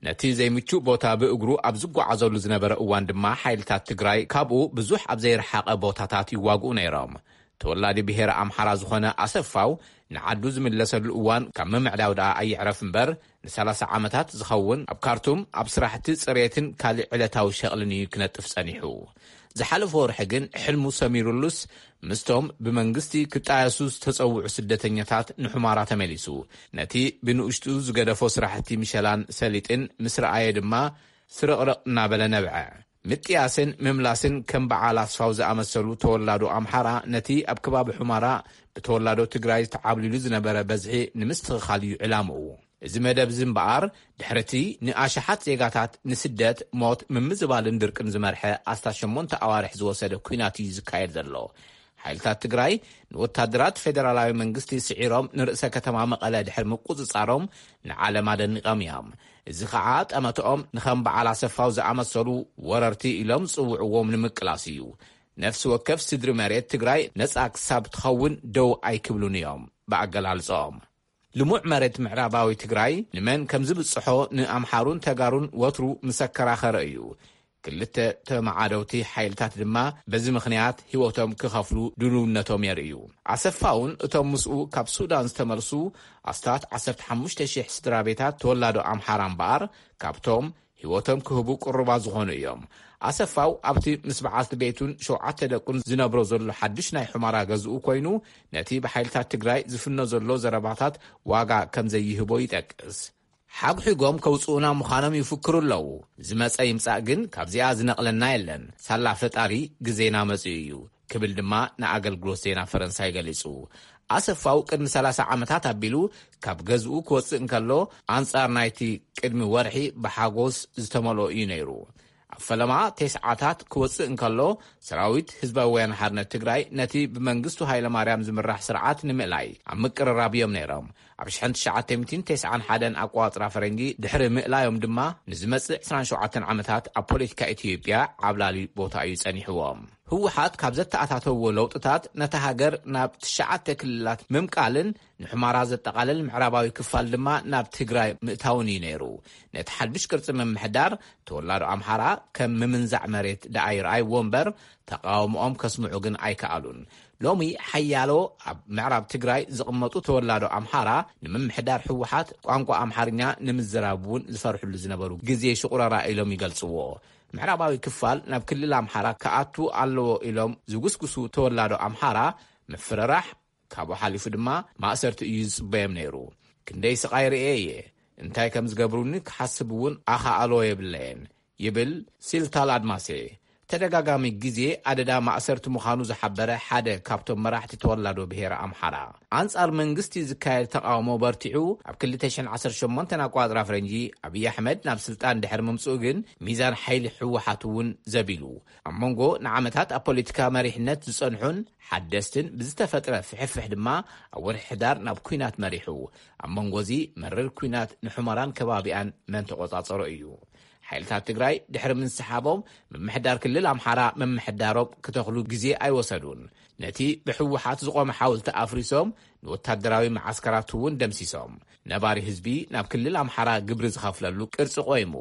ነቲ ዘይምቹእ ቦታ ብእግሩ ኣብ ዝጓዓዘሉ ዝነበረ እዋን ድማ ሓይልታት ትግራይ ካብኡ ብዙሕ ኣብ ዘይረሓቐ ቦታታት ይዋግኡ ነይሮም። ተወላዲ ብሄረ ኣምሓራ ዝኾነ ኣሰፋው ንዓዱ ዝምለሰሉ እዋን ካብ ምምዕዳው ደኣ ኣይዕረፍ እምበር፣ ንሰላሳ ዓመታት ዝኸውን ኣብ ካርቱም ኣብ ስራሕቲ ጽሬትን ካልእ ዕለታዊ ሸቕልን እዩ ክነጥፍ ጸኒሑ። ዝሓለፈ ወርሒ ግን ሕልሙ ሰሚሩሉስ ምስቶም ብመንግስቲ ክጣየሱ ዝተጸውዑ ስደተኛታት ንሑማራ ተመሊሱ። ነቲ ብንኡሽቱ ዝገደፎ ስራሕቲ ምሸላን ሰሊጥን ምስ ረኣየ ድማ ስርቕርቕ እናበለ ነብዐ። ምጥያስን ምምላስን ከም በዓል ኣስፋው ዝኣመሰሉ ተወላዶ ኣምሓራ ነቲ ኣብ ከባቢ ሑማራ ብተወላዶ ትግራይ ተዓብሊሉ ዝነበረ በዝሒ ንምስትኽኻል እዩ ዕላምኡ። እዚ መደብ እዚ እምበኣር፣ ድሕሪ እቲ ንኣሽሓት ዜጋታት ንስደት፣ ሞት፣ ምምዝባልን ድርቅን ዝመርሐ ኣስታት ሸሞንተ ኣዋርሕ ዝወሰደ ኲናት እዩ ዝካየድ ዘሎ። ሓይልታት ትግራይ ንወታደራት ፌደራላዊ መንግስቲ ስዒሮም ንርእሰ ከተማ መቐለ ድሕሪ ምቁጽጻሮም ንዓለም ኣደኒቖም እዮም። እዚ ኸዓ ጠመትኦም ንኸም በዓል ኣሰፋው ዝኣመሰሉ ወረርቲ ኢሎም ዝጽውዕዎም ንምቅላስ እዩ። ነፍሲ ወከፍ ስድሪ መሬት ትግራይ ነጻ ክሳብ ትኸውን ደው ኣይክብሉን እዮም ብኣገላልጾኦም። ልሙዕ መሬት ምዕራባዊ ትግራይ ንመን ከም ዝብጽሖ ንኣምሓሩን ተጋሩን ወትሩ ምስ ኣከራኸረ እዩ። ክልተ ተመዓደውቲ ሓይልታት ድማ በዚ ምኽንያት ህይወቶም ክኸፍሉ ድልውነቶም የርእዩ። ኣሰፋውን እቶም ምስኡ ካብ ሱዳን ዝተመልሱ ኣስታት ዓሰርተ ሓሙሽተ ሽሕ ስድራ ቤታት ተወላዶ ኣምሓራ እምበኣር፣ ካብቶም ህይወቶም ክህቡ ቅሩባት ዝኾኑ እዮም። ኣሰፋው ኣብቲ ምስ በዓልቲ ቤቱን ሸውዓተ ደቁን ዝነብሮ ዘሎ ሓድሽ ናይ ሑመራ ገዝኡ ኮይኑ፣ ነቲ ብሓይልታት ትግራይ ዝፍኖ ዘሎ ዘረባታት ዋጋ ከም ዘይህቦ ይጠቅስ። ሓጉሒጎም ከውጽኡና ምዃኖም ይፍክሩ ኣለዉ። ዝመጸ ይምጻእ ግን ካብዚኣ ዝነቕለና የለን። ሳላ ፈጣሪ ግዜና መጺኡ እዩ ክብል ድማ ንኣገልግሎት ዜና ፈረንሳይ ገሊጹ። ኣሰፋው ቅድሚ ሰላሳ ዓመታት ኣቢሉ ካብ ገዝኡ ክወጽእ እንከሎ፣ ኣንጻር ናይቲ ቅድሚ ወርሒ ብሓጎስ ዝተመልኦ እዩ ነይሩ። ኣብ ፈለማ ተስዓታት ክወጽእ እንከሎ፣ ሰራዊት ህዝባዊ ወያነ ሓርነት ትግራይ ነቲ ብመንግስቱ ሃይለማርያም ዝምራሕ ስርዓት ንምእላይ ኣብ ምቅርራብ እዮም ነይሮም። ኣብ ሽሕን ትሽዓተ ሚእትን ተስዓን ሓደን ኣቆጻጽራ ፈረንጂ ድሕሪ ምእላዮም ድማ፣ ንዝመጽእ ዕስራን ሸውዓተን ዓመታት ኣብ ፖለቲካ ኢትዮጵያ ዓብላሊ ቦታ እዩ ጸኒሕዎም። ህወሓት ካብ ዘተኣታተዎ ለውጥታት፣ ነታ ሃገር ናብ ትሽዓተ ክልላት ምምቃልን ንሑመራ ዘጠቓልል ምዕራባዊ ክፋል ድማ ናብ ትግራይ ምእታውን እዩ ነይሩ። ነቲ ሓድሽ ቅርጺ ምምሕዳር፣ ተወላዶ ኣምሓራ ከም ምምንዛዕ መሬት ደኣ ይረኣይዎ እምበር፣ ተቓውሞኦም ከስምዑ ግን ኣይከኣሉን። ሎሚ ሓያሎ ኣብ ምዕራብ ትግራይ ዝቕመጡ ተወላዶ ኣምሓራ፣ ንምምሕዳር ህወሓት ቋንቋ ኣምሓርኛ ንምዝራብ እውን ዝፈርሕሉ ዝነበሩ ግዜ ሽቑረራ ኢሎም ይገልጽዎ። ምዕራባዊ ክፋል ናብ ክልል ኣምሓራ ክኣቱ ኣለዎ ኢሎም ዝጉስጉሱ ተወላዶ ኣምሓራ፣ ምፍርራሕ፣ ካብኡ ሓሊፉ ድማ ማእሰርቲ እዩ ዝጽበዮም ነይሩ። ክንደይ ስቓይ ርእየ እየ። እንታይ ከም ዝገብሩኒ ክሓስብ እውን ኣኻእሎ የብለየን፣ ይብል ሲልታል ኣድማሴ። ተደጋጋሚ ግዜ ኣደዳ ማእሰርቲ ምዃኑ ዝሓበረ ሓደ ካብቶም መራሕቲ ተወላዶ ብሄረ ኣምሓራ፣ ኣንጻር መንግስቲ ዝካየድ ተቓውሞ በርቲዑ፣ ኣብ ክልተ ሽሕን ዓሰርተ ሸሞንተን ኣቆጻጽራ ፈረንጂ ኣብይ ኣሕመድ ናብ ስልጣን ድሕሪ ምምጽኡ ግን፣ ሚዛን ሓይሊ ህወሓት እውን ዘቢሉ። ኣብ መንጎ ንዓመታት ኣብ ፖለቲካ መሪሕነት ዝጸንሑን ሓደስትን ብዝተፈጥረ ፍሕፍሕ ድማ፣ ኣብ ወርሒ ሕዳር ናብ ኲናት መሪሑ። ኣብ መንጎ እዚ መሪር ኲናት ንሑመራን ከባቢኣን መን ተቖጻጸሮ እዩ? ሓይልታት ትግራይ ድሕሪ ምንስሓቦም፣ ምምሕዳር ክልል ኣምሓራ ምምሕዳሮም ክተኽሉ ግዜ ኣይወሰዱን። ነቲ ብህወሓት ዝቖመ ሓወልቲ ኣፍሪሶም፣ ንወታደራዊ መዓስከራቱ እውን ደምሲሶም። ነባሪ ህዝቢ ናብ ክልል ኣምሓራ ግብሪ ዝኸፍለሉ ቅርጺ ቆይሙ።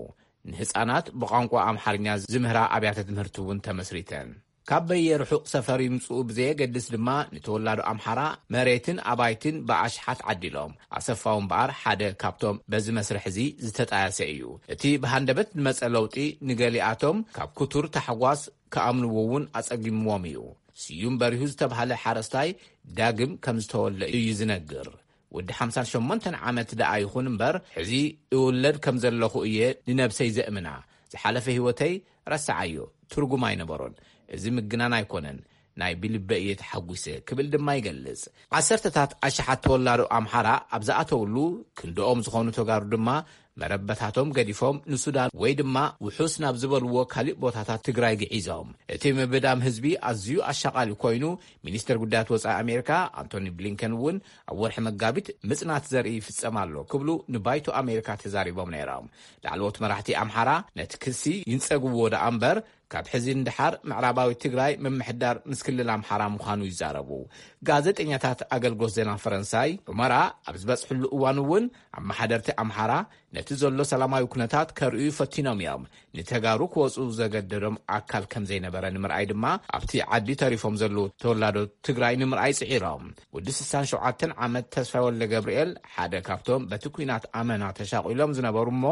ንህጻናት ብቋንቋ ኣምሓርኛ ዝምህራ ኣብያተ ትምህርቲ እውን ተመስሪተን። ካብ በየ ርሑቕ ሰፈር ይምጽኡ ብዘየገድስ ድማ፣ ንተወላዶ ኣምሓራ መሬትን ኣባይትን ብኣሽሓት ዓዲሎም። ኣሰፋው እምበኣር ሓደ ካብቶም በዚ መስርሕ እዚ ዝተጣየሰ እዩ። እቲ ብሃንደበት ዝመጸ ለውጢ ንገሊኣቶም ካብ ክቱር ታሕጓስ ክኣምንዎ እውን ኣጸጊምዎም እዩ። ስዩም በሪሁ ዝተባህለ ሓረስታይ ዳግም ከም ዝተወልደ እዩ ዝነግር። ወዲ ሓምሳን ሸሞንተን ዓመት ደኣ ይኹን እምበር፣ ሕዚ እውለድ ከም ዘለኹ እየ ንነብሰይ ዘእምና። ዝሓለፈ ህይወተይ ረስዓዮ፣ ትርጉም ኣይነበሮን። እዚ ምግናን ኣይኮነን፣ ናይ ብልበ እየ ተሓጒሰ ክብል ድማ ይገልጽ። ዓሰርተታት ኣሽሓት ተወላዶ ኣምሓራ ኣብ ዝኣተውሉ፣ ክንድኦም ዝኾኑ ተጋሩ ድማ መረበታቶም ገዲፎም ንሱዳን ወይ ድማ ውሑስ ናብ ዝበልዎ ካሊእ ቦታታት ትግራይ ግዒዞም። እቲ ምብዳም ህዝቢ ኣዝዩ ኣሻቓሊ ኮይኑ፣ ሚኒስተር ጉዳያት ወጻኢ ኣሜሪካ ኣንቶኒ ብሊንከን እውን ኣብ ወርሒ መጋቢት ምጽናት ዘርኢ ይፍጸም ኣሎ ክብሉ ንባይቶ ኣሜሪካ ተዛሪቦም ነይሮም። ላዕለዎት መራሕቲ ኣምሓራ ነቲ ክሲ ይንጸግዎ ደኣ እምበር፣ ካብ ሕዚ ንደሓር ምዕራባዊ ትግራይ ምምሕዳር ምስ ክልል ኣምሓራ ምዃኑ ይዛረቡ። ጋዜጠኛታት ኣገልግሎት ዜና ፈረንሳይ ሑመራ ኣብ ዝበጽሕሉ እዋን እውን፣ ኣመሓደርቲ ኣምሓራ ነቲ ዘሎ ሰላማዊ ኩነታት ከርእዩ ፈቲኖም እዮም። ንተጋሩ ክወጹ ዘገደዶም ኣካል ከም ዘይነበረ ንምርኣይ ድማ፣ ኣብቲ ዓዲ ተሪፎም ዘለዉ ተወላዶ ትግራይ ንምርኣይ ጽዒሮም። ወዲ ስሳን ሸውዓተን ዓመት ተስፋይ ወልደ ገብርኤል ሓደ ካብቶም በቲ ኲናት ኣመና ተሻቒሎም ዝነበሩ እሞ፣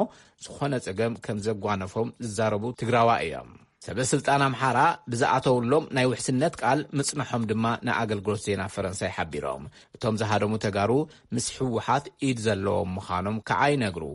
ዝኾነ ጸገም ከም ዘጓነፎም ዝዛረቡ ትግራዋ እዮም። ሰበ ስልጣን ኣምሓራ ብዝኣተውሎም ናይ ውሕስነት ቃል ምጽንሖም ድማ ንኣገልግሎት ዜና ፈረንሳይ ሓቢሮም። እቶም ዝሃደሙ ተጋሩ ምስ ህወሓት ኢድ ዘለዎም ምዃኖም ከዓ ይነግሩ።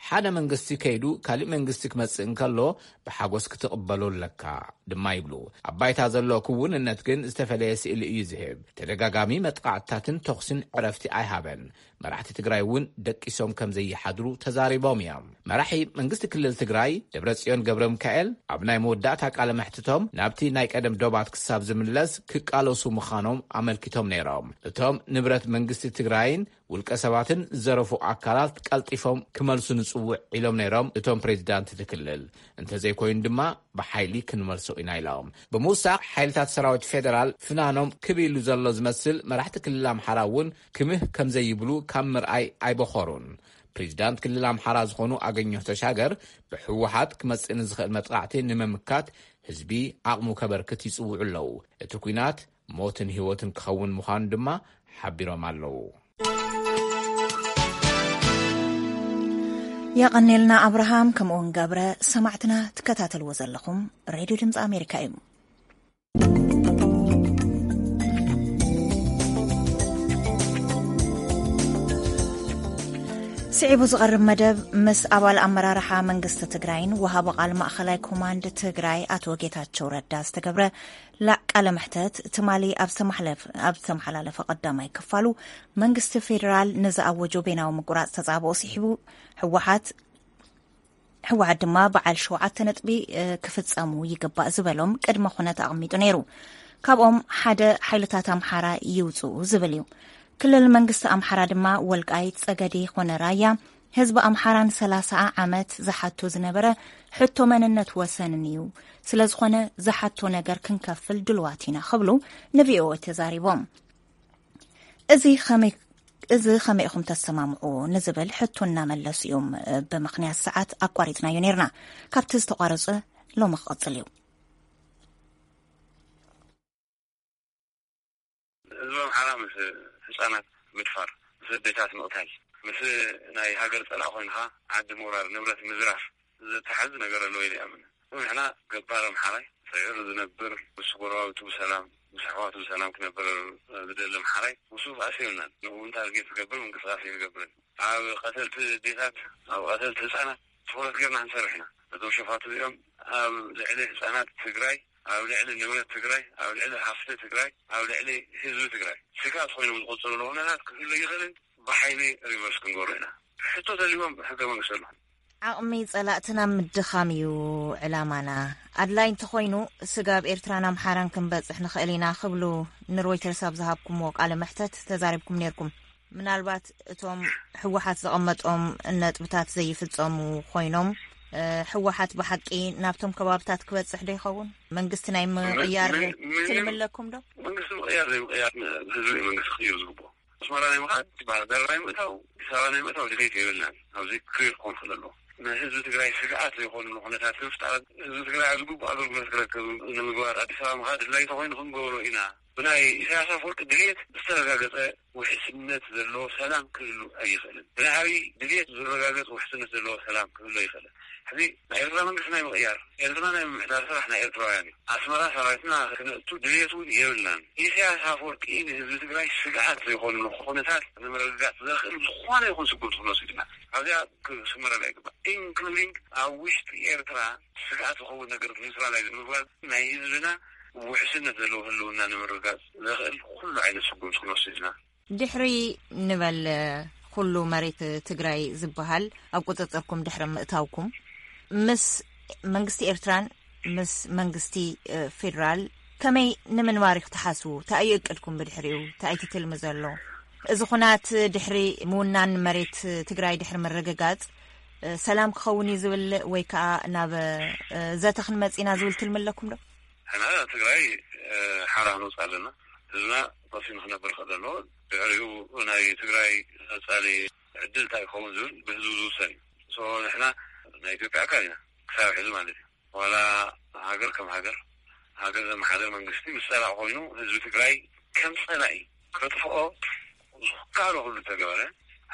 ሓደ መንግስቲ ከይዱ ካሊእ መንግስቲ ክመጽእ እንከሎ ብሓጎስ ክትቕበሎ ኣለካ ድማ ይብሉ። ኣብ ባይታ ዘሎ ክውንነት ግን ዝተፈለየ ስእሊ እዩ ዝህብ። ተደጋጋሚ መጥቃዕትታትን ተኹስን ዕረፍቲ ኣይሃበን። መራሕቲ ትግራይ እውን ደቂሶም ከም ዘይሓድሩ ተዛሪቦም እዮም። መራሒ መንግስቲ ክልል ትግራይ ደብረጽዮን ገብረ ሚካኤል ኣብ ናይ መወዳእታ ቃለ መሕትቶም ናብቲ ናይ ቀደም ዶባት ክሳብ ዝምለስ ክቃለሱ ምዃኖም ኣመልኪቶም ነይሮም። እቶም ንብረት መንግስቲ ትግራይን ውልቀ ሰባትን ዝዘረፉ ኣካላት ቀልጢፎም ክመልሱ ንጽውዕ ኢሎም ነይሮም እቶም ፕሬዚዳንት እቲ ክልል። እንተዘይኮይኑ ድማ ብሓይሊ ክንመልሶ ኢና ኢሎም። ብምውሳኽ ሓይልታት ሰራዊት ፌደራል ፍናኖም ክብ ኢሉ ዘሎ ዝመስል መራሕቲ ክልል ኣምሓራ እውን ክምህ ከም ዘይብሉ ካብ ምርኣይ ኣይበኾሩን። ፕሬዚዳንት ክልል ኣምሓራ ዝኾኑ ኣገኘሁ ተሻገር ብህወሓት ክመጽእ ንዝኽእል መጥቃዕቲ ንምምካት ህዝቢ ዓቕሙ ከበርክት ይጽውዑ ኣለዉ። እቲ ኲናት ሞትን ህይወትን ክኸውን ምዃኑ ድማ ሓቢሮም ኣለዉ። የቐኔልና ኣብርሃም ከምኡውን ገብረ። ሰማዕትና ትከታተልዎ ዘለኹም ሬድዮ ድምፂ ኣሜሪካ እዩ። ስዒቡ ዝቐርብ መደብ ምስ ኣባል ኣመራርሓ መንግስቲ ትግራይን ወሃቢ ቃል ማእኸላይ ኮማንድ ትግራይ ኣቶ ጌታቸው ረዳ ዝተገብረ ላ-፣ ቃለ መሕተት ትማሊ ኣብ ዝተመሓለፍ-፣ ኣብ ዝተመሓላለፈ ቀዳማይ ክፋሉ፣ መንግስቲ ፌዴራል ንዝኣወጆ ቤናዊ ምቁራፅ ተፃብኦ ስሒቡ፣ ህወሓት ህወሓት ድማ በዓል ሸውዓተ ነጥቢ፣ እ፣ ክፍፀሙ ይግባእ ዝበሎም ቅድመ ኩነት ኣቐሚጡ ነይሩ። ካብኦም ሓደ ሓይልታት ኣምሓራ ይውፅኡ ዝብል እዩ። ክልል መንግስቲ ኣምሓራ ድማ ወልቃይት፣ ፀገዴ ኮነ ራያ ህዝቢ ኣምሓራን ሰላሳ ዓመት ዝሓቶ ዝነበረ ሕቶ መንነት ወሰንን እዩ። ስለዝኾነ ዝሓቶ ነገር ክንከፍል ድልዋት ኢና ክብሉ ንቪኦኤ ተዛሪቦም። እዚ ኸመይ፣ እዚ ኸመይ ኢኹም ተሰማምዑ ንዝብል ሕቶ እናመለሱ እዮም፣ እ፣ ብምኽንያት ሰዓት ኣቋሪጽናዮ ነይርና። ካብቲ ዝተቋረጸ ሎሚ ክቕጽል እዩ። ህዝቢ ኣምሓራ ምስ ህፃናት ምድፋር፣ ምስ ኣዴታት ምቕታል፣ ምስ ናይ ሃገር ጸላኢ ኮይንካ ዓዲ ምውራር፣ ንብረት ምዝራፍ፣ ዝተሓዝ ነገር ኣለዎ ኢለ ይኣምን። ንሕና ገባር ኣምሓራይ ስዒሩ ዝነብር፣ ምስ ጎረባብቱ ብሰላም፣ ምስ ኣሕዋቱ ብሰላም ክነብር ዝደሊ ኣምሓራይ፣ ምስኡ ባእሲ የብልናን። ንኡ እውን ታርጌት ዝገብር ምንቅስቃስ ኣይንገብርን። ኣብ ቀተልቲ ኣዴታት፣ ኣብ ቀተልቲ ህፃናት ትኹረት ጌርና ክንሰርሕ ኢና። እዞም ሸፋቱ እዚኦም ኣብ ልዕሊ ህፃናት ትግራይ፣ ኣብ ልዕሊ ንብረት ትግራይ፣ ኣብ ልዕሊ ሃፍቲ ትግራይ፣ ኣብ ልዕሊ ህዝቢ ትግራይ ስግኣት ኮይኖም ዝቆፅሩ ዘለዉ ኩነታት ክህሉ ይኽእልን ብሓይሊ ሪቨርስ ክንገብሮ ኢና። ሕቶ ተልዎም ሕገ መንግስቲ ኣሎ። ዓቕሚ ጸላእትና ምድኻም እዩ ዕላማና። ኣድላይ እንተኾይኑ፣ ስጋብ ኤርትራን ኣምሓራን ክንበጽሕ ንኽእል ኢና ክብሉ ንሮይተርስ ኣብ ዝሃብኩምዎ ቃለ መሕተት ተዛሪብኩም ነይርኩም። ምናልባት እቶም ህወሓት ዘቐመጦም ነጥብታት ዘይፍጸሙ ኮይኖም፣ እ፣ ህወሓት ብሓቂ ናብቶም ከባብታት ክበጽሕ ዶ ይኸውን? መንግስቲ ናይ ምቕያር ምን-፣ ምን-፣ ትልሚ ኣለኩም ዶ? መንግስቲ ምቕያር ዘይምቕያር ህዝቢ እዩ መንግስቲ ክቕይር ዝግብኦ። ኣስመራ ናይ ምኻድ፣ ባህር ዳር ናይ ምእታው፣ ኣዲስ ኣበባ ናይ ምእታው ድሌት የብልናን። ኣብዚ ክሊር ክኾን ክእል ኣለዎ። ንህዝቢ ትግራይ ስግኣት ዘይኮኑ ኩነታት ንምፍጣር ህዝቢ ትግራይ ኣብ ዝግቡእ ኣገልግሎት ክረክብ ንምግባር ኣዲስ ኣበባ ምኻድ ድላይ ተኾይኑ ክንገብሮ ኢና። ብናይ ኢሳያስ ኣፈወርቂ ድሌት ዝተረጋገጸ ውሕስነት ዘለዎ ሰላም ክህሉ ኣይኽእልን። ብናይ ኣብይ ድሌት ዝረጋገጽ ውሕስነት ዘለዎ ሰላም ክህሉ ኣይኽእልን። ሕዚ ናይ ኤርትራ መንግስቲ ናይ ምቕያር፣ ኤርትራ ናይ ምምሕዳር ስራሕ ናይ ኤርትራውያን እዩ። ኣስመራ ሰራዊትና ክነእቱ ድሌት እውን የብልናን። ኢሳያስ ኣፈወርቂ ንህዝቢ ትግራይ ስግኣት ዘይኮኑ ኩነታት ንምርግጋጽ ዘኽእል ዝኾነ ይኹን ስጉምቲ ክንወስድ ኢና። ኣብዚኣ ክስመረላ ይግባእ። ኢንክሉዲንግ ኣብ ውሽጢ ኤርትራ ስግኣት ዝኸውን ነገር ኒውትራላይዝ ንምግባር ናይ ህዝብና ውሕስነት ዘለዎ ህልውና ንምርግጋጽ ዘኽእል ኩሉ ዓይነት ስጉምቲ ክንወስድ ኢና። ድሕሪ ንበል ኩሉ መሬት ትግራይ ዝበሃል ኣብ ቁፅፅርኩም ድሕሪ ምእታውኩም፣ ምስ መንግስቲ ኤርትራን ምስ መንግስቲ፣ እ፣ ፌዴራል ከመይ ንምንባር ኢኹም ትሓስቡ? እንታይ እዩ እቅድኩም ብድሕሪኡ? እንታይ እቲ ትልሚ ዘሎ? እዚ ኩናት ድሕሪ ምውናን መሬት ትግራይ ድሕሪ ምርግጋፅ፣ እ፣ ሰላም ክኸውን እዩ ዝብል ወይ ከዓ ናብ፣ እ፣ ዘተ ክንመፅ ኢና ዝብል ትልሚ ኣለኩም ዶ? ንሕና ትግራይ፣ እ፣ ሓራ ክንወፅእ ኣለና። ህዝብና ቆሲኑ ክነብር ክእል ኣለዎ። ድሕሪኡ ናይ ትግራይ ቀፃሊ ዕድል እንታይ ክኸውን ዝብል ብህዝቢ ዝውሰን እዩ። ሶ ንሕና ናይ ኢትዮጵያ ኣካል ኢና ክሳብ ሕዚ ማለት እዩ። ዋላ ሃገር ከም ሃገር፣ ሃገር ዘመሓደር መንግስቲ ምስ ፀላኢ ኮይኑ ህዝቢ ትግራይ ከም ፀላኢ ከጥፍኦ ዝከኣሎ ኩሉ ተገበረ።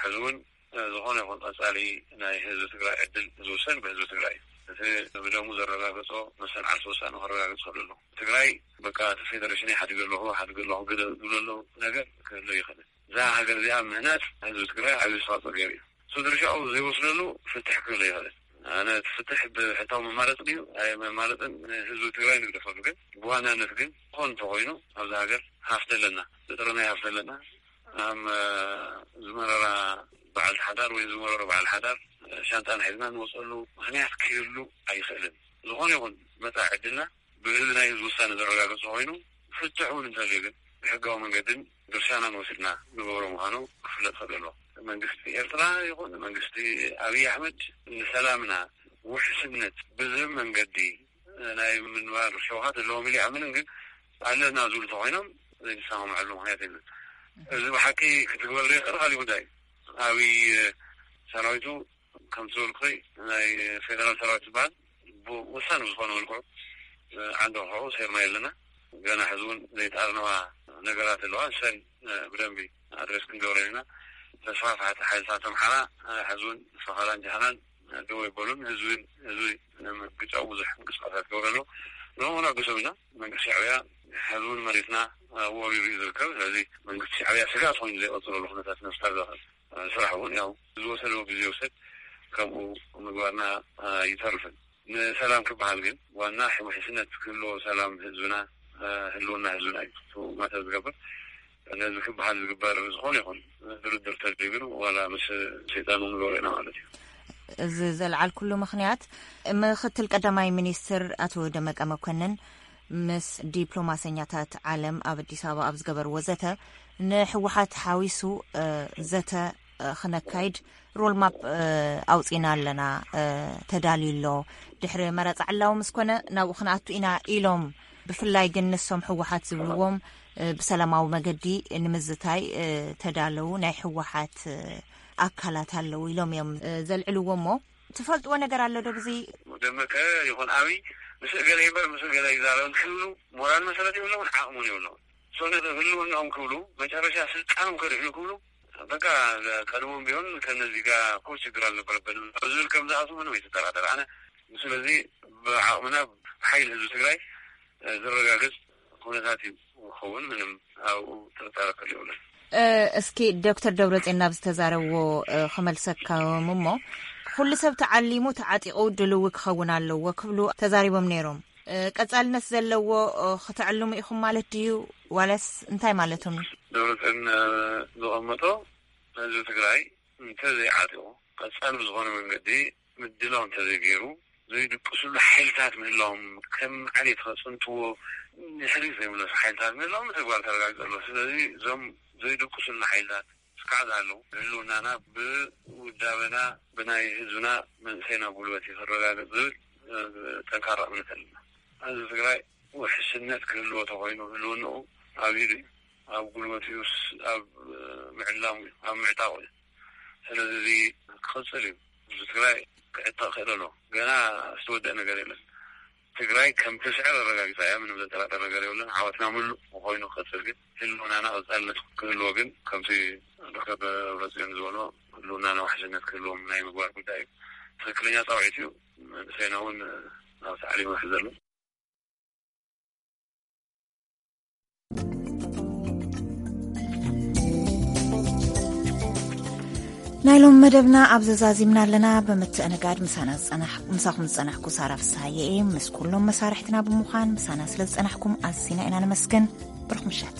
ሕዚ እውን፣ እ፣ ዝኾነ ይኹን ቀፃሊ ናይ ህዝቢ ትግራይ ዕድል ዝውሰን ብህዝቢ ትግራይ እዩ። እቲ ብደሙ ዘረጋገፆ መሰል ዓርሰ ውሳነ ከረጋግፅ ይኽእል ኣሎ። ትግራይ በቃ እቲ ፌደሬሽን ሓዲገ ኣለኹ፣ ሓዲገ ኣለኹ ግደ ዝብሎ ነገር ክህሉ ይኽእል። እዛ ሃገር እዚኣ ምህናፅ ህዝቢ ትግራይ ዓብዪ ኣስተዋፅኦ ገይሩ እዩ። እሱ ድርሻኡ ዘይወስደሉ ፍትሕ ክህሉ ይኽእል። ኣነ እቲ ፍትሕ ብሕታዊ መማረፂ ድዩ ኣይ መማረፅን ንህዝቢ ትግራይ ንግደፈሉ። ግን ብዋናነት ግን ዝኾን እንተኾይኑ ኣብዚ ሃገር ሃፍቲ ኣለና፣ ብጥረ ናይ ሃፍቲ ኣለና። ኣም ዝመረራ በዓልቲ ሓዳር ወይ ዝመረሮ በዓል ሓዳር ሻንጣና ሒዝና ንወፀሉ ምኽንያት ክህሉ ኣይኽእልን። ዝኾነ ይኹን መፃኢ ዕድልና ብህዝቢ ናይ ህዝቢ ውሳነ ዘረጋገፀ ኮይኑ ፍትሕ እውን እንተልዩ ግን ብሕጋዊ መንገድን ድርሻናን ወሲድና ንገብሮ ምዃኑ ክፍለጥ ክእል ኣለዎ። መንግስቲ ኤርትራ ይኹን መንግስቲ ኣብይ ኣሕመድ ንሰላምና ውሕስነት ብዝህብ መንገዲ ናይ ምንባር ሸውሃት ኣለዎም ኢሉ ይኣምንን ግን ኣለና ዝብሉ ተኮይኖም ዘይንሰማምዐሉ ምክንያት የለን። እዚ ብሓቂ ክትግበር ዘይኽእል ካሊእ ጉዳይ እዩ። ኣብይ ሰራዊቱ ከምቲ ዝበልኩ ናይ ፌደራል ሰራዊት ዝበሃል ብወሳኒ ብዝኾነ መልክዑ ዓንዲ ርሑቑ ሰይርና የለና። ገና ሕዚ እውን ዘይጠኣርነዋ ነገራት ኣለዋ። ንሰን ብደንቢ ኣድሬስ ክንገብረን ኢና። ተስፋፍሓቲ ሓይልታት ኣምሓራ ሕዚ እውን ፈኸራን ጃህራን ደው ኣይበሉን። ህዝቢ ህዝቢ ንምግጫው ብዙሕ ምንቅስቃሳት ይገብሩ ኣለዉ። ንዕኡ ነዕግሶም ኢና። መንግስቲ ሻዕብያ ሕዚ እውን መሬትና ወሪሩ እዩ ዝርከብ። ስለዚ መንግስቲ ሻዕብያ ስጋት ኮይኑ ዘይቐፅለሉ ኩነታት ንምፍጣር ዘኽእል ስራሕ እውን ያው ዝወሰደዎ ግዜ ይውሰድ ከምኡ ምግባርና ኣይተርፍን። ንሰላም ክበሃል ግን ዋና ውሕስነት ክህልዎ ሰላም ህዝብና ህልውና ህዝብና እዩ ማተር ዝገብር። ነዚ ክበሃል ዝግበር ዝኾነ ይኹን ድርድር ተድልዩ ግን ዋላ ምስ ሰይጣን እውን ንገብሮ ኢና ማለት እዩ። እዚ ዘልዓልኩሉ ምኽንያት ምክትል ቀዳማይ ሚኒስትር ኣቶ ደመቀ መኮንን ምስ ዲፕሎማሰኛታት ዓለም ኣብ ኣዲስ ኣበባ ኣብ ዝገበርዎ ዘተ ንህወሓት ሓዊሱ፣ እ፣ ዘተ፣ እ፣ ክነካይድ ሮድማፕ፣ እ፣ ኣውፂና ኣለና፣ እ፣ ተዳልዩ ኣሎ። ድሕሪ መረፃ ዕላዊ ምስ ኮነ ናብኡ ክንኣቱ ኢና ኢሎም። ብፍላይ ግን ንሶም ህወሓት ዝብልዎም፣ እ፣ ብሰላማዊ መገዲ ንምዝታይ፣ እ፣ ተዳለዉ ናይ ህወሓት፣ እ፣ ኣካላት ኣለዉ ኢሎም እዮም፣ እ፣ ዘልዕልዎ እሞ ትፈልጥዎ ነገር ኣሎ ዶ ብዚ? ደመቀ ይኹን ኣብይ ምስ እገለ ይበር ምስ እገለ ይዛረብ ክብሉ ሞራል መሰረት የብለውን፣ ዓቕሙን የብለውን። ሶነ ህልውናኦም ክብሉ መጨረሻ ስልጣኖም ከድሕኑ ክብሉ በቃ ቀድሞም ቢሆን ከነዚህ ጋር እኮ ችግር አልነበረብንም ዝብል ከም ዝኣቱ ምንም ኣይትጠራጠር። ኣነ ስለዚ ብዓቕምና ሓይል ህዝቢ ትግራይ ዝረጋገጽ ኩነታት እዩ ክኸውን ምንም ኣብኡ ጥርጣረ ከል የብለን። እ፣ እስኪ ዶክተር ደብረጽዮን ናብ ዝተዛረብዎ፣ እ፣ ክመልሰካዮም እሞ፣ ኩሉ ሰብ ተዓሊሙ ተዓጢቑ ድልዊ ክኸውን ኣለዎ ክብሉ ተዛሪቦም ነይሮም። እ፣ ቀጻልነት ዘለዎ፣ እ፣ ክተዕልሙ ኢኹም ማለት ድዩ? ዋላስ እንታይ ማለቶም እዩ? ደብረጽዮን፣ እ፣ ዘቐመጦ ህዝቢ ትግራይ እንተዘይዓጢቑ፣ ቀጻሊ ብዝኾነ መንገዲ ምድላው እንተዘይገይሩ፣ ዘይድቅስሉ ሓይልታት ምህላዎም፣ ከም ዓሌት ከጽንትዎ፣ ንድሕሪት ዘይምለሱ ሓይልታት ምህላዎም ብተግባር ተረጋጊጹ ኣሎ። ስለዚ እዞም ዘይድቅስሉ ሓይልታት እስካዕ ዝሃለዉ፣ ህልውናና ብውዳበና፣ ብናይ ህዝብና መንእሰይና ጉልበት እዩ ክረጋገጽ ዝብል፣ እ፣ ጠንካራ እምነት ኣለና። ህዝቢ ትግራይ ውሕስነት ክህልዎ ተኾይኑ፣ ህልውንኡ ኣብ ኢዱ እዩ። ኣብ ጉልበቱ እዩ፣ ስ-፣ ኣብ፣ እ፣ ምዕላሙ እዩ፣ ኣብ ምዕጣቑ እዩ። ስለዚ እዚ ክቕጽል እዩ። ህዝቢ ትግራይ ክዕጠቕ ክእል ኣለዎ። ገና ዝተወደአ ነገር የለን። ትግራይ ከም ትስዕር ኣረጋጊጻ እያ። ምንም ዘጠራጠር ነገር የብለን። ዓወትና ምሉእ ኮይኑ ክቕጽል ግን ህልውናና ቀጻልነት ክህልዎ ግን ከምቲ ዶክተር ደብረጽዮን ዝበሎ ህልውናና ውሕስነት ክህልዎም ናይ ምግባር ጉዳይ እዩ። ትኽክለኛ ጻውዒት እዩ። መንእሰይና እውን ናብ ታዕሊም ይውሕዝ ዘሎ። ናይ ሎም መደብና ኣብ ዘዛዚምና ኣለና። ብምትእንጋድ ምሳና ዝጸናሕ-፣ ምሳኹም ዝጸናሕኩ ሳራ ፍስሃየ እየ። ምስ ኩሎም መሳርሕትና ብምዃን ምሳና ስለ ዝጸናሕኩም ኣዝና ኢና ነመስግን። ብሩኽ ምሸት።